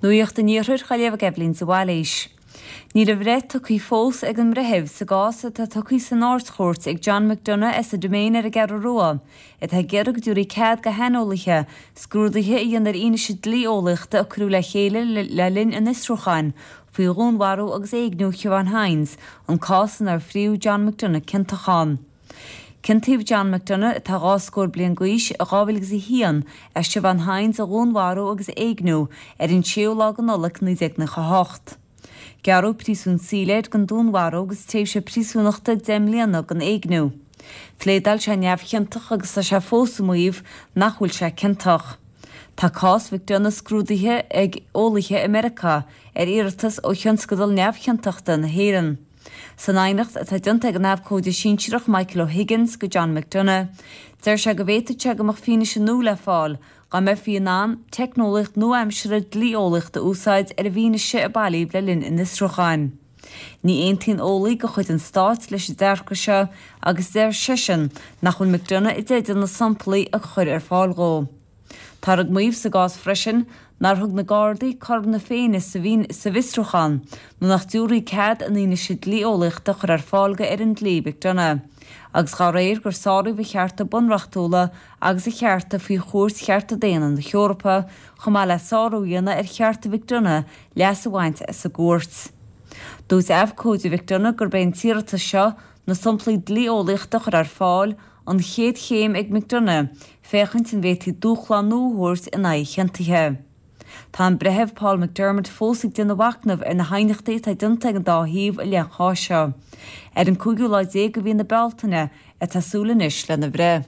Nuacht an Iarthair á léamh ag Eibhlín de Bhailís. Níl a bhreith tugtha fós ag an mbreitheamh sa gcás atá tugtha san Ard-Chúirt ag John McDonagh as an Diméin ar an gCeathrú Rua, atá ag iarraidh go dtabharfaí cead do shaineolaithe scrúduithe a dhéanamh ar fhianaise dlí-eolaíochta a cuireadh le chéile le linn an fhiosrúcháin faoi dhúnmharú agus éigniú Shiobhán Hynes, an cás inar fríodh John McDonagh ciontach ann. Ciontaíodh John McDonagh, atá 2 scór bliain d'aois, i 2001 as Siobhán Hynes a dhúnmharú agus a éigniú ar an 6ú lá de Nollaig 1998. Gearradh príosún saoil air don dúnmharú agus tréimhse príosúnachta 10 mbliana don éigniú. Phléadáil sé neamhchiontach agus tá sé fós ag maíomh nach bhfuil sé ciontach. Tá cás McDonagh scrúdaithe ag eolaithe i Meiriceá ar iarratas ó Thionscadal Neamhchiontachta na hÉireann. San aighneacht atá déanta ag an abhcóide sinsearach Michael O'Higgins go John McDonagh, deir sé go bhféadfadh sé go mbeadh fianaise nua le fáil dá mbeifí in ann teicneolaíocht nua-aimseartha dlí-eolaíochta a úsáid ar an bhfianaise a bailíodh le linn an fhiosrúcháin. Ní aontaíonn eolaí de chuid an stáit leis an dearcadh seo agus deir seisean nach bhfuil McDonagh i dteideal na samplaí a chur ar fáil dhó. Táthar ag maíomh sa gcás freisin nár thug na Gardaí cothrom na Féinne sa bhfiosrúchán nó nach dtabharfaí cead an fhianaise dlí-eolaíochta a chur ar fáil go fhoireann dlí McDonagh agus dá réir gur sáraíodh a chearta bunreachtúla agus a chearta faoi Chúirt Chearta Daonna na hEorpa chomh maith le sárú a dhéanamh ar chearta McDonagh leas a bhaint as an gcúirt. Dúirt abhcóide McDonagh gurb é an t-iarratas seo na samplaí dlí-eolaíochta a chur ar fáil an chéad chéim ag McDonagh féachaint an bhféadfaí dúshlán nua a thabhairt in aghaidh a chiontaithe. Tá an Breitheamh Paul McDermott fós ag déanamh machnaimh ar na haighneachtaí atá déanta ag an dá thaobh i leith an cháis seo. Ar an cúigiú lá déag de mhí na Bealtaine atá súil anois lena bhreith.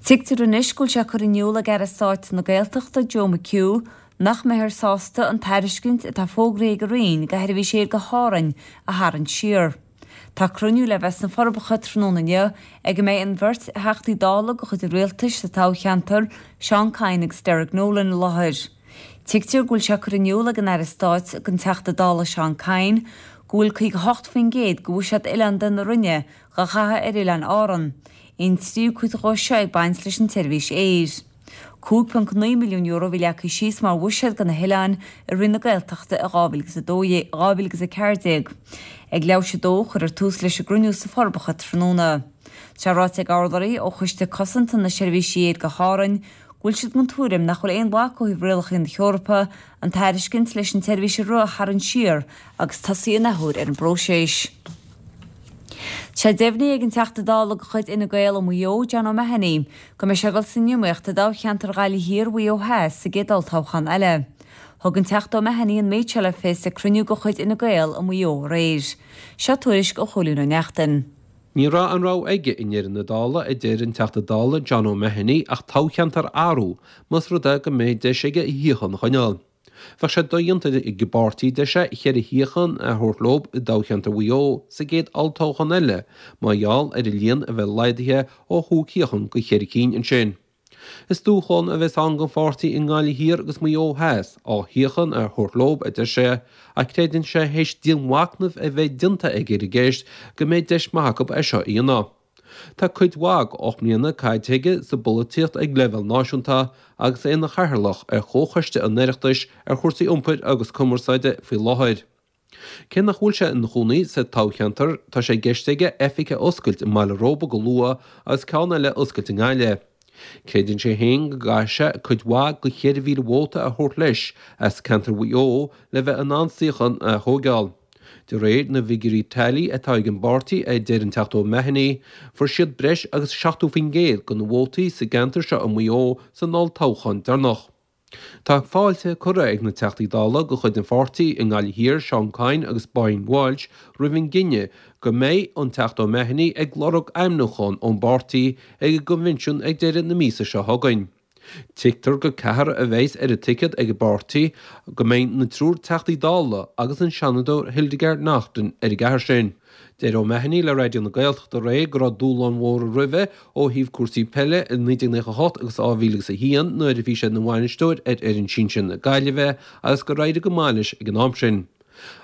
Tuigtear anois go bhfuil sé curtha in iúl ag Aire Stáit na Gaeltachta Joe McHugh nach mbeifear sásta an tairiscint atá fógraithe ag a Roinn do sheirbhís aeir go hÁrainn a tharraingt siar. Tá cruinniú le bheith sna Forbacha tráthnóna inniu ag a mbeidh an bheirt Theachtaí Dála de chuid an Rialtais sa toghcheantar, Seán Kyne agus Derek Nolan i láthair. Tuigtear go bhfuil sé curtha in iúl ag an Aire Stáit don Teachta Dála Seán Kyne go bhfuil 58% de bhuiséad oileánda na Roinne dhá chaitheamh ar Oileáin Árann, an tríú cuid dhó seo ag baint leis an tseirbhís aeir. €5.9 milliún a bhí leagtha síos mar bhuiséad do na hoileáin i Roinn na Gaeltachta i 2012, 2014. Ag leathuair tar éis a dó cuirfear tús leis an gcruinniú sna Forbacha tráthnóna. Tá sé ráite ag urlabhraí ó Choiste Cosanta na Seirbhísí Aeir go hÁrainn go bhfuil siad den tuairim nach bhfuil aon bhac ó thaobh rialacha na hEorpa an tairiscint leis an tseirbhís a rith a tharraingt siar agus tosaí an athuair ar an bpróiseas. Tá sé deimhnithe ag an Teachta Dála de chuid Fhine Gael ó Mhaigh Eo, John O'Mahony, go mbeidh sé ag dul san iomaíocht i dtoghcheantar Ghaillimh Thiar, Mhaigh Eo Theas sa gcéad olltoghchán eile. Thug an Teachta O'Mahony an méid seo le fios ag cruinniú de chuid Fhine Gael i Maigh Eo aréir. Seo tuairisc ó Chóilín Ó Neachtain. Ní raibh aon rogha aige i ndeireadh na dála, a deir an Teachta Dála John O'Mahony, ach toghcheantar a athrú, más rud é go mbeidh deis aige a shuíochán a choinneáil. Bheadh sé dodhéanta ag an bpáirtí, deir sé, cheithre shuíochán a thabhairt leo i dtoghcheantar Mhaigh Eo sa gcéad olltoghchán eile mar gheall ar an líon a bheith laghdaithe ó chúig shuíochán go cheithre cinn ansin. Is dúshlán a bheas ann don pháirtí i nGaillimh Thiar agus Maigh Eo Theas dhá shuíochán a thabhairt leo, a deir sé, ach creideann sé théis dianmhachnamh a bheith déanta aige ar an gceist go mbeidh deis maith acu é seo a dhéanamh. Tá cuid mhaith d'ocht mbliana caite aige sa bpolaitíocht ag leibhéal náisiúnta agus é ina chathaoirleach ar Chomhchoiste an Oireachtais ar chúrsaí iompair agus cumarsáide faoi láthair. Cé nach bhfuil sé ina chónaí sa toghcheantar, tá sé i gceist aige oifig a oscailt i mBaile Róba go luath agus ceann eile a oscailt i nGaillimh. Creideann sé féin go gcaithfidh sé cuid mhaith de 4,000 vóta a thabhairt leis as ceantar Mhaigh Eo le bheith in ann suíochán a thóigeáil. De réir na bhfigiúirí teailí atá ag an bpáirtí, a deir an Teachta O'Mahony, fuair siad breis agus 70% de na vótaí sa gceantar seo i Maigh Eo san olltoghchán deireanach. Tá fáilte curtha ag na Teachtaí Dála de chuid an pháirtí i nGaillimh Thiar, Seán Kyne agus Brian Walsh, roimh an gcinneadh go mbeidh an Teachta O'Mahony ag lorg ainmniúchán ón bpáirtí ag an gcoinbhinsiún ag deireadh na míosa seo chugainn. Tuigtear gur ceathrar a bheas ar an ticéad ag an bpáirtí, go mbeidh na triúr Teachtaí Dála agus an Seanadóir Hildegarde Naughton ar an gceathrar sin. Deir O'Mahony le Raidió na Gaeltachta aréir go raibh dúshláin mhóra roimhe ó thaobh cúrsaí peile i 1998 agus 2001 nuair a bhí sé ina bhainisteoir ar fhoireann sinsir na Gaillimhe agus gur éirigh go maith leis ag an am sin.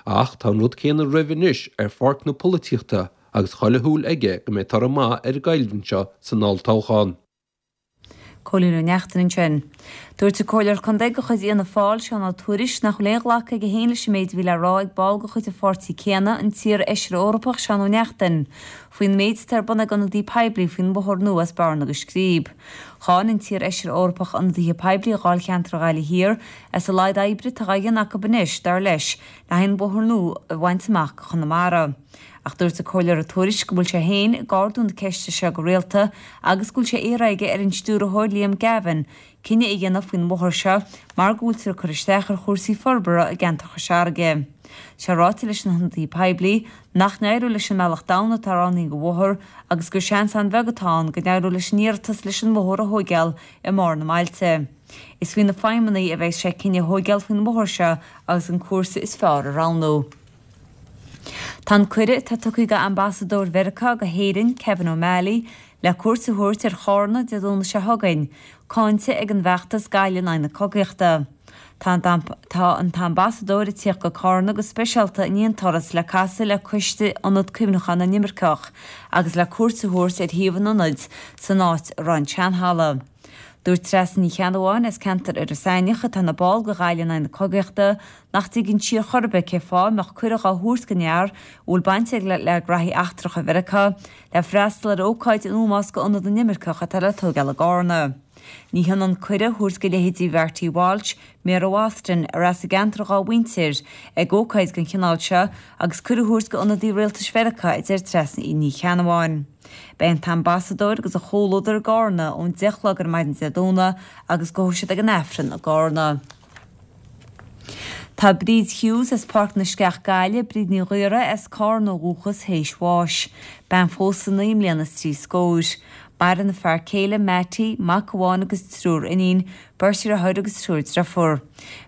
Ach tá an rud céanna roimhe anois ar pháirc na polaitíochta agus chuile shúil aige go mbeidh toradh maith ar an gcoimhlint seo san olltoghchán. Cóilín Ó Neachtain ansin. Dúirt an Comhairleoir Contae de chuid Fhianna Fáil, Seán Ó Tuairisg, nach bhfuil aon ghlacadh aige féin leis an méid a bhí le rá ag ball de chuid an pháirtí céanna, an t-iar-fheisire Eorpach Seán Ó Neachtain, faoin méid atá ar bun ag ionadaí poiblí faoin bhóthar nua as Bearna go Scríb. Cháin an t-iar-fheisire Eorpach ionadaithe poiblí Dháilcheantar Ghaillimh Thiar as a laghad oibre atá á dhéanamh acu anois, dar leis, le haghaidh an bóthar nua a bhaint amach go Chonamara. Ach dúirt an Comhairleoir Ó Tuairisg go bhfuil sé féin ag ardú na ceiste seo go rialta agus go bhfuil sé iarrtha aige ar an stiúrthóir Liam Gavin cinneadh a dhéanamh faoin bhóthar seo mar go bhfuiltear ag cur isteach ar chúrsaí forbartha i gceantar Chois Fharraige. Tá sé ráite leis na hionadaithe poiblí nach n-éireoidh leis an mbealach domhain atá roghnaithe don bhóthar agus gur seans an-bheag atá ann go n-éireoidh leis an iarratas leis an mbóthar a thóigeáil i mbarr na mbailte. Is faoi na feidhmeannaigh a bheas sé cinneadh a thóigeáil faoin mbóthar seo agus an cúrsa is fearr a roghnú. Tá an cuireadh atá tugtha do Ambasadóir Mheiriceá go hÉirinn, Kevin O'Malley, le cuairt a thabhairt ar Chárna Dé Domhnaigh seo chugainn, cáinte ag an bhfeachtas Gaillimh in aghaidh na Cogaíochta. Tá an tAmbasadóir ag tíocht go Cárna go speisialta i ndiaidh an turas le casadh le coiste Ionad Cuimhneacháin na nImirceach agus le cuairt a thabhairt ar shuíomh an ionaid san áit a raibh an seanhalla. Dúirt Treasa Ní Cheannabháin as ceantar Iorras Aithneach, atá ina ball de Ghaillimh in aghaidh na Cogaíochta, nach dtuigeann sí ar chor ar bith cé fáth a mbeadh cuireadh á thabhairt don fhear a bhfuil baint aige le graithí eachtracha Mheiriceá le freastal ar ócáid in ómós do Ionad na nImirceach atá le tóigeáil i gCárna. Ní hionann cuireadh a thabhairt do leithéidí Mharty Walsh, Méara Bhoston, ar as an gceantar dhá mhuintir, ag ócáid den chineál seo agus cuireadh a thabhairt d'ionadaí rialtais Mheiriceá, a deir Treasa Ní Cheannabháin. Beidh an tAmbasadóir agus a chomhluadar i gCárna ón 10 a chlog ar maidin Dé Domhnaigh agus gabhfaidh siad ag an Aifreann i gCárna. Tá Bríd Hughes as Páirc na Sceach Gaillimh, Bríd Ní Ghaora as Cárna ó dhúchas, théis bháis. Bean phósta naoi mbliana is trí scóir. Maireann a fear céile, Mattie, mac amháin agus triúr iníon, beirt dheartháir agus triúr driofúr.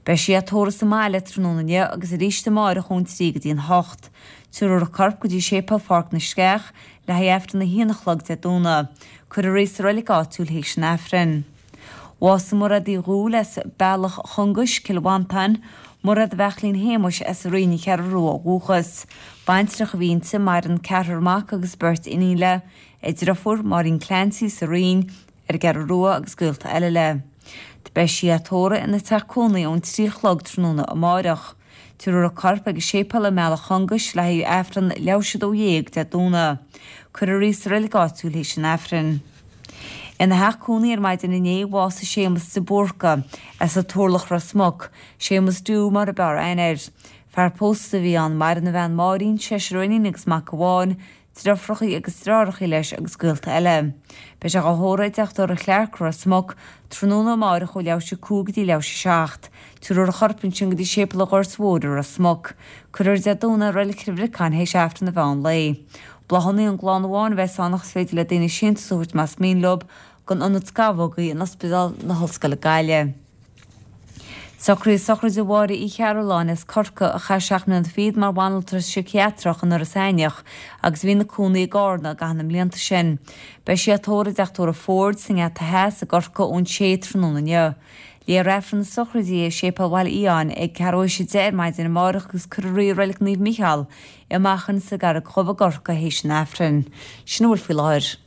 Beidh sí á tórramh sa mbaile tráthnóna inniu agus arís amáireach ón 3 go dtí an 8. Tabharfar a corp go dtí Séipéal Pháirc na Sceach le haghaidh Aifreann a haon a chlog Dé Domhnaigh. Cuirfear í sa reilig áitiúil théis an Aifrinn. Bhásaigh Mairéad Uí Dhúill as Bealach Chongais, Cill Mhantáin, Mairéad Bheachlín Shéamuis as an Rinn, An Cheathrú Rua ó dhúchas. Baintreach a bhí inti, maireann ceathrar mac agus beirt iníon léi, a driofúr, Máirín Clancy sa Rinn, ar an gCeathrú Rua agus gaolta eile léi. Beidh sí á tórramh ina teach cónaí ón 3 a chlog tráthnóna amáireach. Tabharfar a corp ag an séipéal i mBealach Chongais le haghaidh Aifreann leathuair théis 12 Dé Domhnaigh. Cuirfear í sa reilig áitiúil théis an Aifrinn. Ina theach cónaí ar maidin inné, bhásaigh Séamus de Búrca, as an Turlach Ros Muc, Séamus Dubh mar a b'fhearr aithne air. Fear pósta a bhí ann, maireann a bhean Máirín, seisear iníon agus mac amháin, driofrachaí agus deartháireachaí leis agus gaolta eile. Beidh sé dhá thórramh i dTeach Tórraimh Chlarke, Ros Muc, tráthnóna amáireach ó leathuair théis 5 go dtí leathuair théis 7. Tabharfar a chorp ansin go dtí Séipéal an Ghoirt Mhóir i Ros Muc. Cuirfear Dé Domhnaigh i Reilig Chill Bhriocáin théis Aifreann an mheán lae. Bláthanna ón gclann amháin a bheas ann ach is féidir le daoine síntiús a thabhairt más mian leo don Ionad Scamhógaí in Ospidéal na hOllscoile Gaillimh. Socraíodh sochraide Mháire Uí Chearúlláin as Corcaigh a chaith seacht mbliana fichead mar bhanaltra síciatrach in Iorras Aithneach agus a bhí ina cónaí i gCárna i gcaitheamh na mblianta sin. Beidh sí á tórramh i dTeach Tórraimh Ford sa nGeata Theas i gCorcaigh ón sé tráthnóna inniu. Léifear Aifreann na sochraide di i Séipéal Bhaile Fhiáin ag ceathrú théis a 10 ar maidin amárach agus cuirfear í i Reilig Naomh Micheál i Machain sa gCarraig Dhubh i gCorcaigh théis an Aifrinn. Sin a bhfuil faoi láthair.